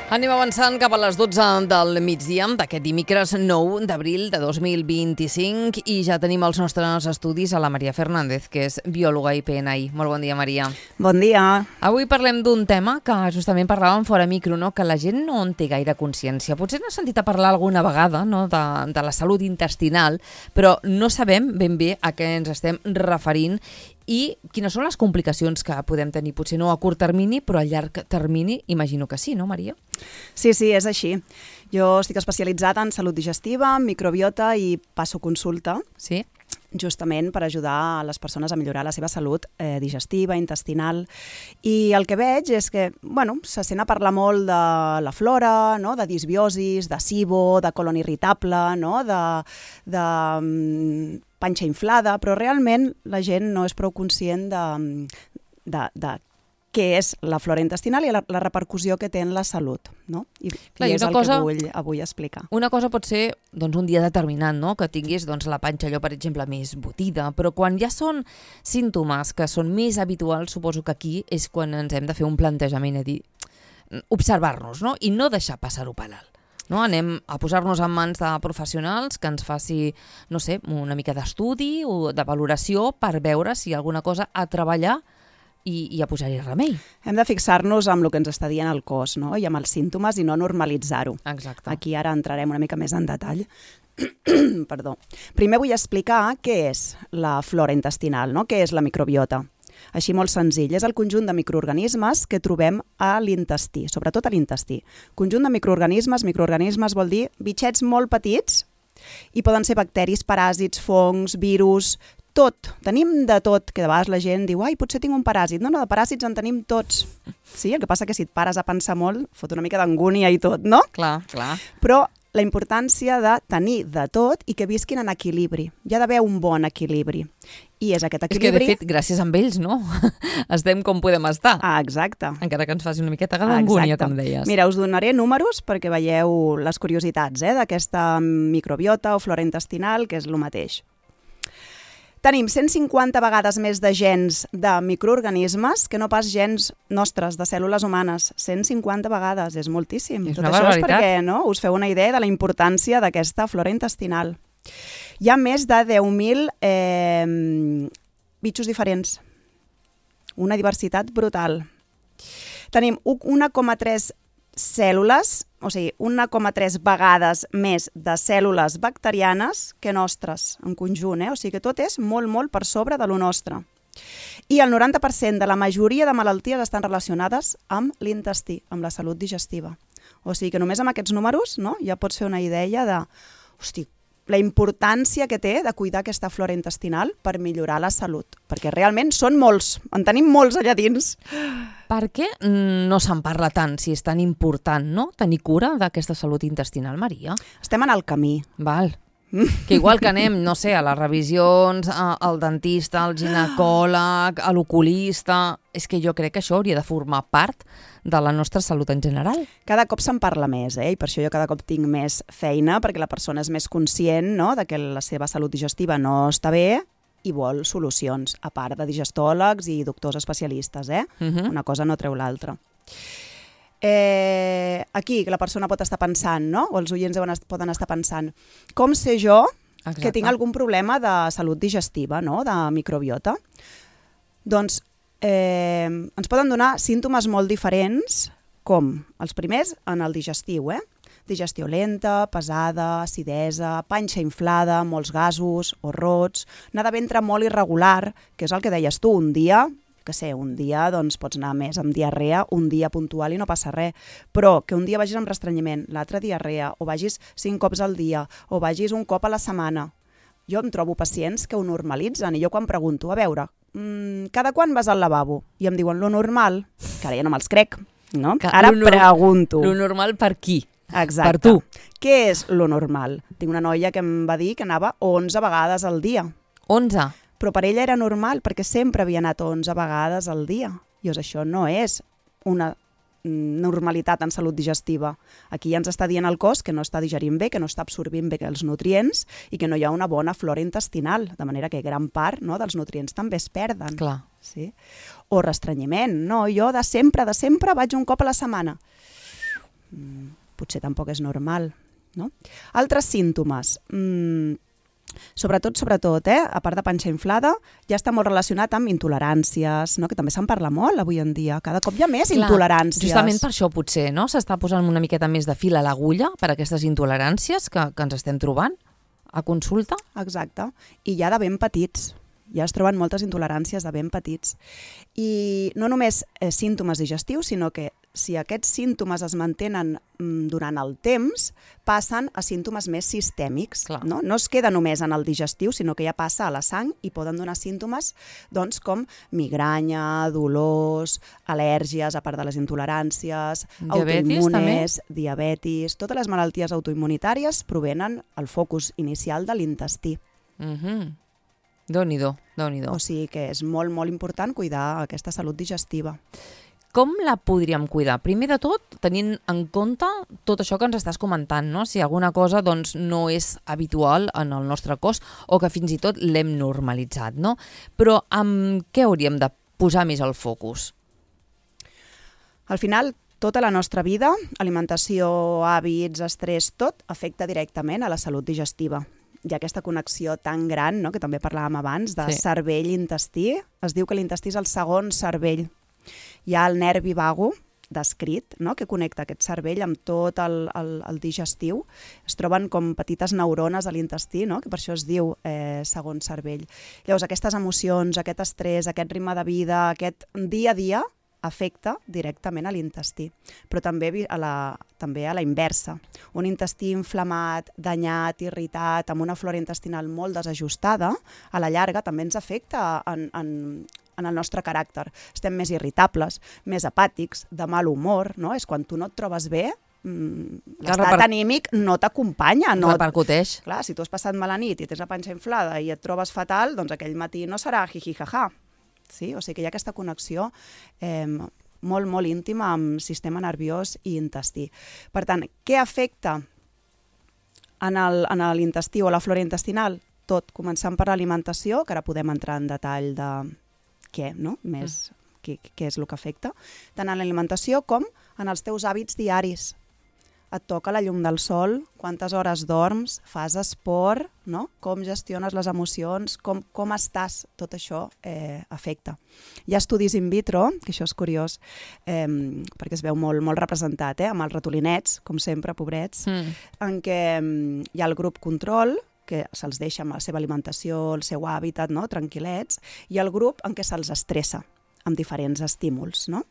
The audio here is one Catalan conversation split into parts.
Anem avançant cap a les 12 del migdia d'aquest dimecres 9 d'abril de 2025 i ja tenim els nostres estudis a la Maria Fernández, que és biòloga i PNI. Molt bon dia, Maria. Bon dia. Avui parlem d'un tema que justament parlàvem fora micro, no? Que la gent no en té gaire consciència. Potser n'ha sentit a parlar alguna vegada, no? de la salut intestinal, però no sabem ben bé a què ens estem referint i quines són les complicacions que podem tenir, potser no a curt termini, però a llarg termini, imagino que sí, no, Maria? Sí, és així. Jo estic especialitzada en salut digestiva, microbiota i passo consulta, sí, justament per ajudar a les persones a millorar la seva salut digestiva, intestinal. I el que veig és que, se sent a parlar molt de la flora, no? De disbiosis, de SIBO, de colon irritable, no? de panxa inflada, però realment la gent no és prou conscient de què és la flora intestinal i la repercussió que té en la salut, no? I és el que vull avui explicar. Una cosa pot ser un dia determinat, no? Que tinguis la panxa, allò, per exemple, més botida, però quan ja són símptomes que són més habituals, suposo que aquí és quan ens hem de fer un plantejament, observar-nos, no? I no deixar passar-ho per alt. No? Anem a posar-nos en mans de professionals que ens faci, no sé, una mica d'estudi o de valoració per veure si hi ha alguna cosa a treballar i a posar-hi remei. Hem de fixar-nos amb el que ens està dient el cos, no? I amb els símptomes i no normalitzar-ho. Exacte. Aquí ara entrarem una mica més en detall. Perdó. Primer vull explicar què és la flora intestinal, no? Què és la microbiota. Així molt senzill, és el conjunt de microorganismes que trobem a l'intestí, sobretot a l'intestí. Conjunt de microorganismes vol dir bitxets molt petits i poden ser bacteris, paràsits, fongs, virus, tot. Tenim de tot, que de vegades la gent diu potser tinc un paràsit. No, de paràsits en tenim tots. Sí, el que passa que si et pares a pensar molt, fot una mica d'angúnia i tot, no? Clar. Però la importància de tenir de tot i que visquin en equilibri. Hi ha d'haver un bon equilibri. I és aquest equilibri... És que, de fet, gràcies a ells, no? Estem com podem estar. Exacte. Encara que ens faci una miqueta d'angúnia, com deies. Mira, us donaré números perquè veieu les curiositats d'aquesta microbiota o flora intestinal, que és el mateix. Tenim 150 vegades més de gens de microorganismes que no pas gens nostres, de cèl·lules humanes. 150 vegades, és moltíssim. És Tot una això barbaritat. És perquè us feu una idea de la importància d'aquesta flora intestinal. Hi ha més de 10.000 bitxos diferents. Una diversitat brutal. Tenim 1,3 cèl·lules, o sigui, 1,3 vegades més de cèl·lules bacterianes que nostres, en conjunt, o sigui que tot és molt, molt per sobre de lo nostre. I el 90% de la majoria de malalties estan relacionades amb l'intestí, amb la salut digestiva. O sigui que només amb aquests números ja pots fer una idea de, la importància que té de cuidar aquesta flora intestinal per millorar la salut. Perquè realment són molts, en tenim molts allà dins. Per què no se'n parla tant, si és tan important, no? Tenir cura d'aquesta salut intestinal, Maria? Estem en el camí. Val. Que igual que anem, no sé, a les revisions, al dentista, al ginecòleg, a l'oculista... És que jo crec que això hauria de formar part de la nostra salut en general. Cada cop se'n parla més, i per això jo cada cop tinc més feina, perquè la persona és més conscient, no?, de que la seva salut digestiva no està bé i vol solucions, a part de digestòlegs i doctors especialistes, Una cosa no treu l'altra. Aquí la persona pot estar pensant, no?, o els oients poden estar pensant, com sé jo que tinc algun problema de salut digestiva, no?, de microbiota? Doncs ens poden donar símptomes molt diferents, com els primers en el digestiu, digestió lenta, pesada, acidesa, panxa inflada, molts gasos o rots, anar de ventre molt irregular, que és el que deies tu, un dia doncs pots anar més amb diarrea, un dia puntual i no passa res, però que un dia vagis amb restrenyiment, l'altre diarrea, o vagis 5 cops al dia, o vagis un cop a la setmana. Jo em trobo pacients que ho normalitzen i jo quan pregunto, a veure, cada quan vas al lavabo? I em diuen, lo normal, que ara ja no me'ls crec, no? Ara pregunto. Lo normal per qui? Exacte. Per tu. Què és lo normal? Tinc una noia que em va dir que anava 11 vegades al dia. 11? Però per ella era normal, perquè sempre havia anat 11 vegades al dia. Llavors això no és una normalitat en salut digestiva. Aquí ja ens està dient el cos que no està digerint bé, que no està absorbint bé els nutrients i que no hi ha una bona flora intestinal, de manera que gran part dels nutrients també es perden. Clar. Sí? O restrenyiment. No, jo de sempre vaig un cop a la setmana. potser tampoc és normal, no? Altres símptomes, sobretot, a part de panxa inflada, ja està molt relacionat amb intoleràncies, no? Que també se'n parla molt avui en dia. Cada cop hi ha més intoleràncies. Justament per això potser, no? S'està posant una miqueta més de fil a l'agulla per aquestes intoleràncies que ens estem trobant a consulta. Exacte. I ja de ben petits. Ja es troben moltes intoleràncies de ben petits. I no només símptomes digestius, sinó que si aquests símptomes es mantenen durant el temps, passen a símptomes més sistèmics. No? No es queda només en el digestiu, sinó que ja passa a la sang i poden donar símptomes doncs, com migranya, dolors, al·lèrgies, a part de les intoleràncies, autoimmunes, diabetis... Totes les malalties autoimmunitàries provenen al focus inicial de l'intestí. Déu-n'hi-do. O sigui que és molt, molt important cuidar aquesta salut digestiva. Com la podríem cuidar? Primer de tot, tenint en compte tot això que ens estàs comentant, no? Si alguna cosa doncs, no és habitual en el nostre cos o que fins i tot l'hem normalitzat, no? Però amb què hauríem de posar més el focus? Al final, tota la nostra vida, alimentació, hàbits, estrès, tot afecta directament a la salut digestiva. Hi ha aquesta connexió tan gran, no?, que també parlàvem abans, de cervell-intestí. Es diu que l'intestí és el segon cervell. Hi ha el nervi vago, descrit, no?, que connecta aquest cervell amb tot el digestiu. Es troben com petites neurones a l'intestí, no?, que per això es diu segon cervell. Llavors, aquestes emocions, aquest estrès, aquest ritme de vida, aquest dia a dia, afecta directament a l'intestí, però també a la inversa. Un intestí inflamat, danyat, irritat, amb una flora intestinal molt desajustada, a la llarga també ens afecta en el nostre caràcter. Estem més irritables, més apàtics, de mal humor, no? És quan tu no et trobes bé, l'estat anímic no t'acompanya. Repercuteix. Clar, si tu has passat mala nit i tens la panxa inflada i et trobes fatal, doncs aquell matí no serà jiji-jaja. Sí? O sigui que hi ha aquesta connexió molt, molt íntima amb sistema nerviós i intestí. Per tant, què afecta en l'intestí o la flora intestinal? Tot, començant per l'alimentació, que ara podem entrar en detall de què, no? Més què és el que afecta, tant en l'alimentació com en els teus hàbits diaris. Et toca la llum del sol, quantes hores dorms, fas esport, no? Com gestiones les emocions, com estàs, tot això afecta. Hi ha estudis in vitro, que això és curiós, perquè es veu molt, molt representat, amb els ratolinets, com sempre, pobrets, en què hi ha el grup control, que se'ls deixa amb la seva alimentació, el seu hàbitat, no? Tranquil·lets, i el grup en què se'ls estressa amb diferents estímuls, no?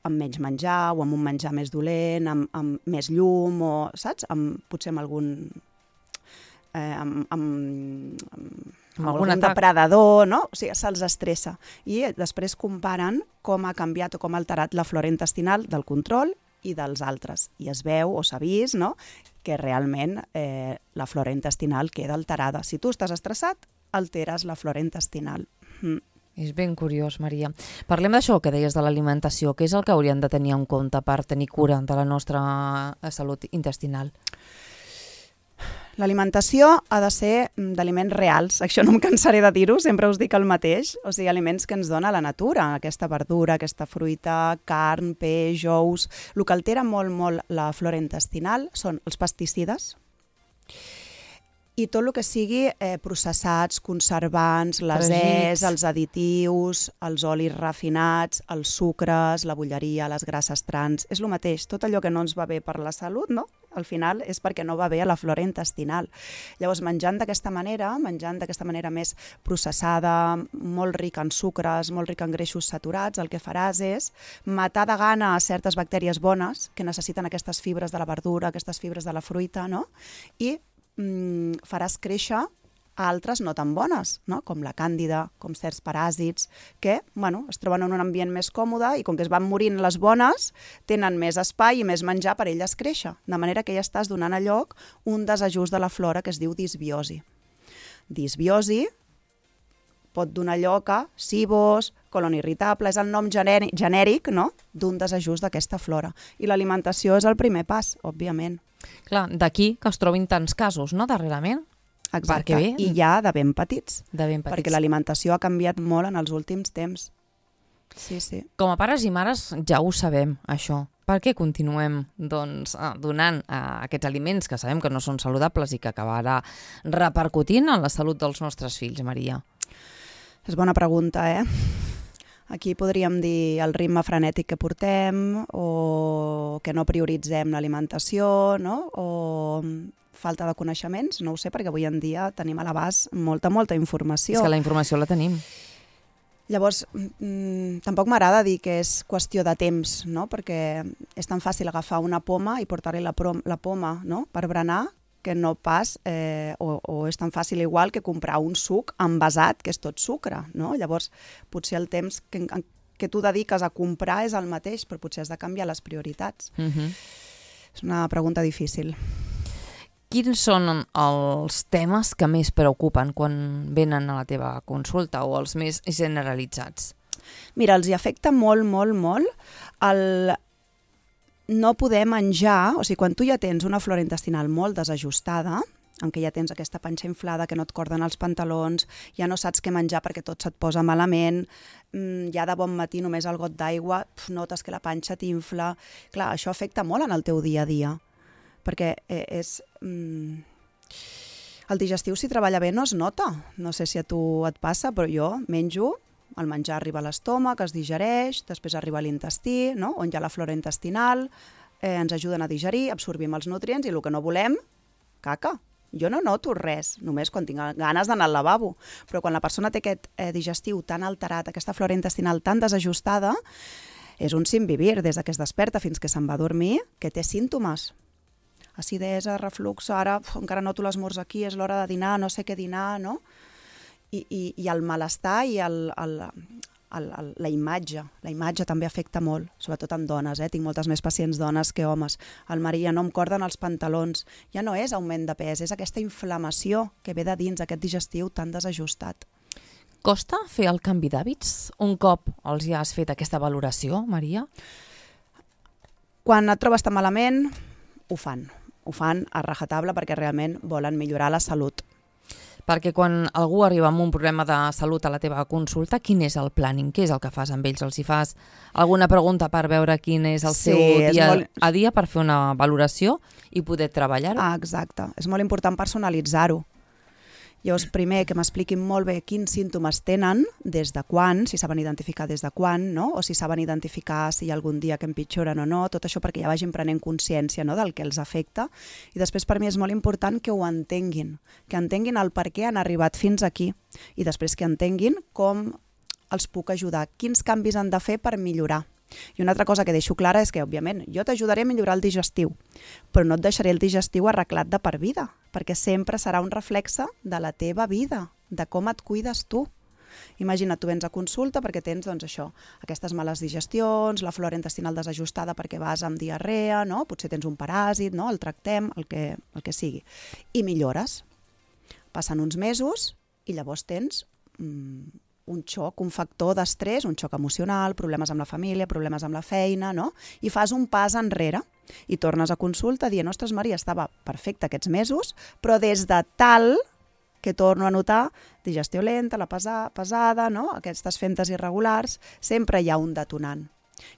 Amb menys menjar o amb un menjar més dolent, amb més llum, o, saps? Potser amb algun... amb algun depredador, no? O sigui, se'ls estressa. I després comparen com ha canviat o com ha alterat la flora intestinal del control i dels altres. I es veu, o s'ha vist, no?, que realment la flora intestinal queda alterada. Si tu estàs estressat, alteres la flora intestinal. És ben curiós, Maria. Parlem d'això que deies de l'alimentació. Què és el que hauríem de tenir en compte per tenir cura de la nostra salut intestinal? L'alimentació ha de ser d'aliments reals. Això no em cansaré de dir-ho, sempre us dic el mateix. O sigui, aliments que ens dona la natura, aquesta verdura, aquesta fruita, carn, peix, ous. El que altera molt, molt la flora intestinal són els pesticides i tot el que sigui processats, conservants, les els additius, els olis refinats, els sucres, la bulleria, les grasses trans. És el mateix, tot allò que no ens va bé per la salut, no? Al final és perquè no va bé a la flora intestinal. Llavors, menjant d'aquesta manera més processada, molt rica en sucres, molt rica en greixos saturats, el que faràs és matar de gana a certes bactèries bones que necessiten aquestes fibres de la verdura, aquestes fibres de la fruita, no? I faràs créixer altres no tan bones, no? Com la càndida, com certs paràsits, que es troben en un ambient més còmode i com que es van morint les bones, tenen més espai i més menjar per elles créixer. De manera que ja estàs donant a lloc un desajust de la flora que es diu disbiosi. Disbiosi pot donar lloc a SIBOs, colon irritable, és el nom genèric, no?, d'un desajust d'aquesta flora. I l'alimentació és el primer pas, òbviament. Clar, d'aquí que es trobin tants casos, no?, darrerament. Exacte, i ja de ben petits. Perquè l'alimentació ha canviat molt en els últims temps. Sí, sí. Com a pares i mares ja ho sabem, això. Per què continuem donant aquests aliments que sabem que no són saludables i que acabarà repercutint en la salut dels nostres fills, Maria? És bona pregunta, Aquí podríem dir el ritme frenètic que portem o que no prioritzem l'alimentació, no? O falta de coneixements, no ho sé, perquè avui en dia tenim a l'abast molta informació. És que la informació la tenim. Llavors, tampoc m'agrada dir que és qüestió de temps, no? Perquè és tan fàcil agafar una poma i portar-li la poma, no? Per berenar, que no pas, o és tan fàcil igual que comprar un suc envasat, que és tot sucre, no? Llavors, potser el temps que tu dediques a comprar és el mateix, però potser has de canviar les prioritats. És una pregunta difícil. Quins són els temes que més preocupen quan venen a la teva consulta o els més generalitzats? Mira, els hi afecta molt el no poder menjar, o sigui, quan tu ja tens una flora intestinal molt desajustada, en què ja tens aquesta panxa inflada, que no et corden els pantalons, ja no saps què menjar perquè tot se't posa malament, ja de bon matí només el got d'aigua, notes que la panxa t'infla. Clar, això afecta molt en el teu dia a dia, perquè el digestiu, si treballa bé, no es nota. No sé si a tu et passa, però jo menjo, el menjar arriba a l'estómac, es digereix, després arriba a l'intestí, no? On hi ha la flora intestinal, ens ajuden a digerir, absorbim els nutrients i el que no volem, caca. Jo no noto res, només quan tinc ganes d'anar al lavabo. Però quan la persona té aquest digestiu tan alterat, aquesta flora intestinal tan desajustada, és un sin vivir, des que es desperta fins que se'n va a dormir, que té símptomes. Acidesa, reflux, ara encara noto l'esmorz aquí, és l'hora de dinar, no sé què dinar, no? I el malestar i la imatge també afecta molt, sobretot en dones, Tinc moltes més pacients dones que homes. El Maria, no em corden els pantalons. Ja no és augment de pes, és aquesta inflamació que ve de dins, aquest digestiu tan desajustat. Costa fer el canvi d'hàbits un cop els ja has fet aquesta valoració, Maria? Quan et trobes tan malament, ho fan a rajatabla perquè realment volen millorar la salut. Perquè quan algú arriba amb un problema de salut a la teva consulta, quin és el planning? Què és el que fas amb ells? Els hi fas alguna pregunta per veure quin és el seu dia a dia per fer una valoració i poder treballar-ho? Exacte. És molt important personalitzar-ho. Llavors, primer, que m'expliquin molt bé quins símptomes tenen, des de quan, si saben identificar des de quan, no? O si saben identificar si hi ha algun dia que empitjoren o no, tot això perquè ja vagin prenent consciència, no?, del que els afecta. I després, per mi, és molt important que ho entenguin, que entenguin el per què han arribat fins aquí i després que entenguin com els puc ajudar, quins canvis han de fer per millorar. I una altra cosa que deixo clara és que, òbviament, jo t'ajudaré a millorar el digestiu, però no et deixaré el digestiu arreglat de per vida, perquè sempre serà un reflexe de la teva vida, de com et cuides tu. Imagina't, tu vens a consulta perquè tens, doncs, això, aquestes males digestions, la flora intestinal desajustada perquè vas amb diarrea, no? Potser tens un paràsit, no? El tractem, el que sigui. I millores. Passen uns mesos i llavors tens un xoc, un factor d'estrès, un xoc emocional, problemes amb la família, problemes amb la feina, no? I fas un pas enrere i tornes a consulta dient, ostres, Maria, estava perfecte aquests mesos, però des de tal que torno a notar digestió lenta, la pesada, no? Aquestes fentes irregulars, sempre hi ha un detonant.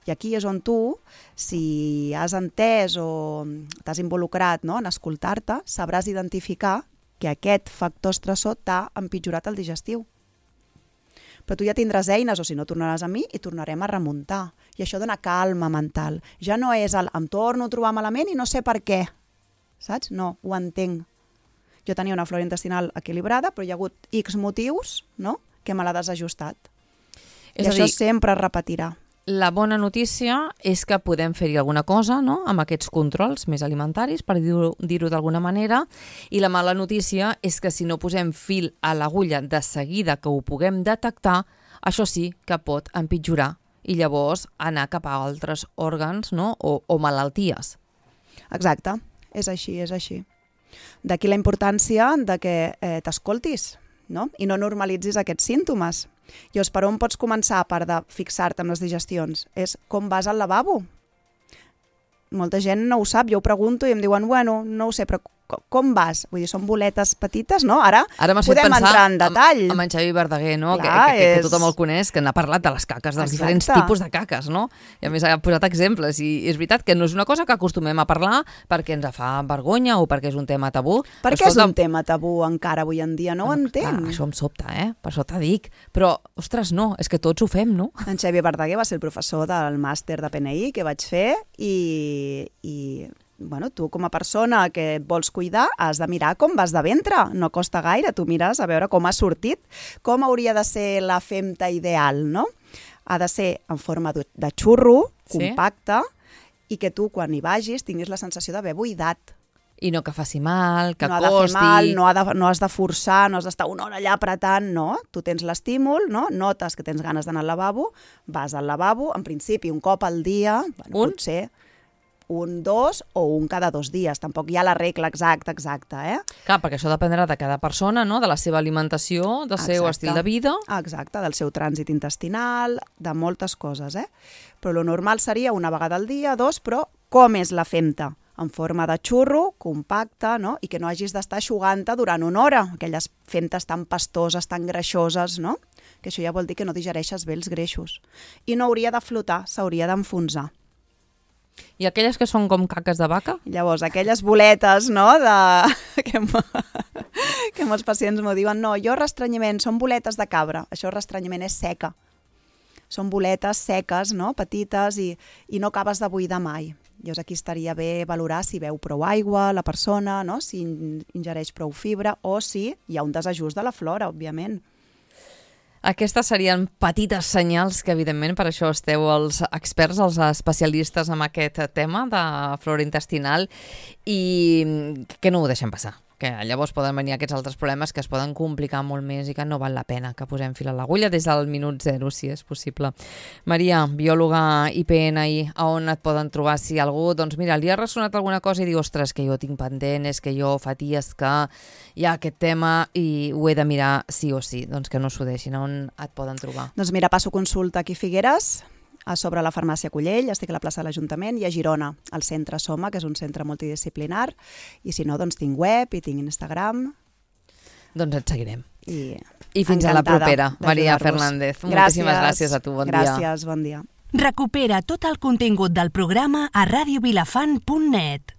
I aquí és on tu, si has entès o t'has involucrat, no?, en escoltar-te, sabràs identificar que aquest factor estressor t'ha empitjorat el digestiu. Però tu ja tindràs eines, o si no tornaràs a mi i tornarem a remuntar. I això dona calma mental. Ja no és em torno a trobar malament i no sé per què. Saps? No, ho entenc. Jo tenia una flora intestinal equilibrada, però hi ha hagut X motius, no?, que me l'ha desajustat. I això sempre es repetirà. La bona notícia és que podem fer-hi alguna cosa, no?, amb aquests controls més alimentaris, per dir-ho d'alguna manera, i la mala notícia és que si no posem fil a l'agulla de seguida que ho puguem detectar, això sí que pot empitjorar i llavors anar cap a altres òrgans, no?, o malalties. Exacte, és així, és així. D'aquí la importància de que t'escoltis, no?, i no normalitzis aquests símptomes. Llavors, per on pots començar a part de fixar-te amb les digestions? És com vas al lavabo. Molta gent no ho sap, jo ho pregunto i em diuen, bueno, no ho sé, però com vas? Vull dir, són boletes petites, no? Ara podem entrar en detall. Amb en Xavi Verdaguer, no? Clar, que tothom el coneix, que n'ha parlat de les caques, dels diferents tipus de caques, no? I a més ha posat exemples. I és veritat que no és una cosa que acostumem a parlar perquè ens fa vergonya o perquè és un tema tabú. Per què és un tema tabú encara avui en dia? No ho entenc. Clar, això em sobta, Per això t'ho dic. Però, ostres, no, és que tots ho fem, no? En Xavi Verdaguer va ser el professor del màster de PNI que vaig fer i bueno, tu com a persona que et vols cuidar has de mirar com vas de ventre, no costa gaire, tu mires a veure com ha sortit, com hauria de ser la femta ideal, no? Ha de ser en forma de xurro, compacte, i que tu quan hi vagis tinguis la sensació d'haver buidat. I no que faci mal, que costi... No ha de fer mal, no has de forçar, no has d'estar una hora allà apretant, no. Tu tens l'estímul, no? Notes que tens ganes d'anar al lavabo, vas al lavabo, en principi un cop al dia, bueno, potser... un, dos o un cada 2 dies. Tampoc hi ha la regla exacta, Clar, perquè això dependrà de cada persona, no? De la seva alimentació, del seu estil de vida. Exacte, del seu trànsit intestinal, de moltes coses, Però lo normal seria una vegada al dia, 2, però com és la femta? En forma de xurro, compacte, no? I que no hagis d'estar eixugant-te durant una hora, aquelles femtes tan pastoses, tan greixoses, no? Que això ja vol dir que no digereixes bé els greixos. I no hauria de flotar, s'hauria d'enfonsar. I aquelles que són com caques de vaca? Llavors, aquelles boletes, no?, que molts pacients m'ho diuen, no, jo restrenyiment, són boletes de cabra, això restrenyiment és seca. Són boletes seques, no?, petites, i no acabes de buidar mai. Llavors aquí estaria bé valorar si beu prou aigua la persona, no?, si ingereix prou fibra o si hi ha un desajust de la flora, òbviament. Aquestes serien petites senyals que, evidentment, per això esteu els experts, els especialistes en aquest tema de flora intestinal i que no ho deixem passar. Que llavors poden venir aquests altres problemes que es poden complicar molt més i que no val la pena que posem fil a l'agulla des del minut 0, si és possible. Maria, biòloga i PNI, a on et poden trobar si algú, doncs mira, li ha ressonat alguna cosa i diu, ostres, que jo tinc pendent, és que jo fa dies que hi ha aquest tema i ho he de mirar sí o sí, doncs que no s'ho deixin, on et poden trobar? Doncs mira, passo consulta aquí a Figueres, a sobre la farmàcia Collell, estic a la plaça de l'Ajuntament, i a Girona, al centre Soma, que és un centre multidisciplinar, i si no, doncs tinc web i tinc Instagram. Doncs et seguirem. I fins a la propera, Maria Fernández. Moltíssimes gràcies a tu, bon dia. Gràcies, bon dia. Recupera tot el contingut del programa a radiovilafant.net.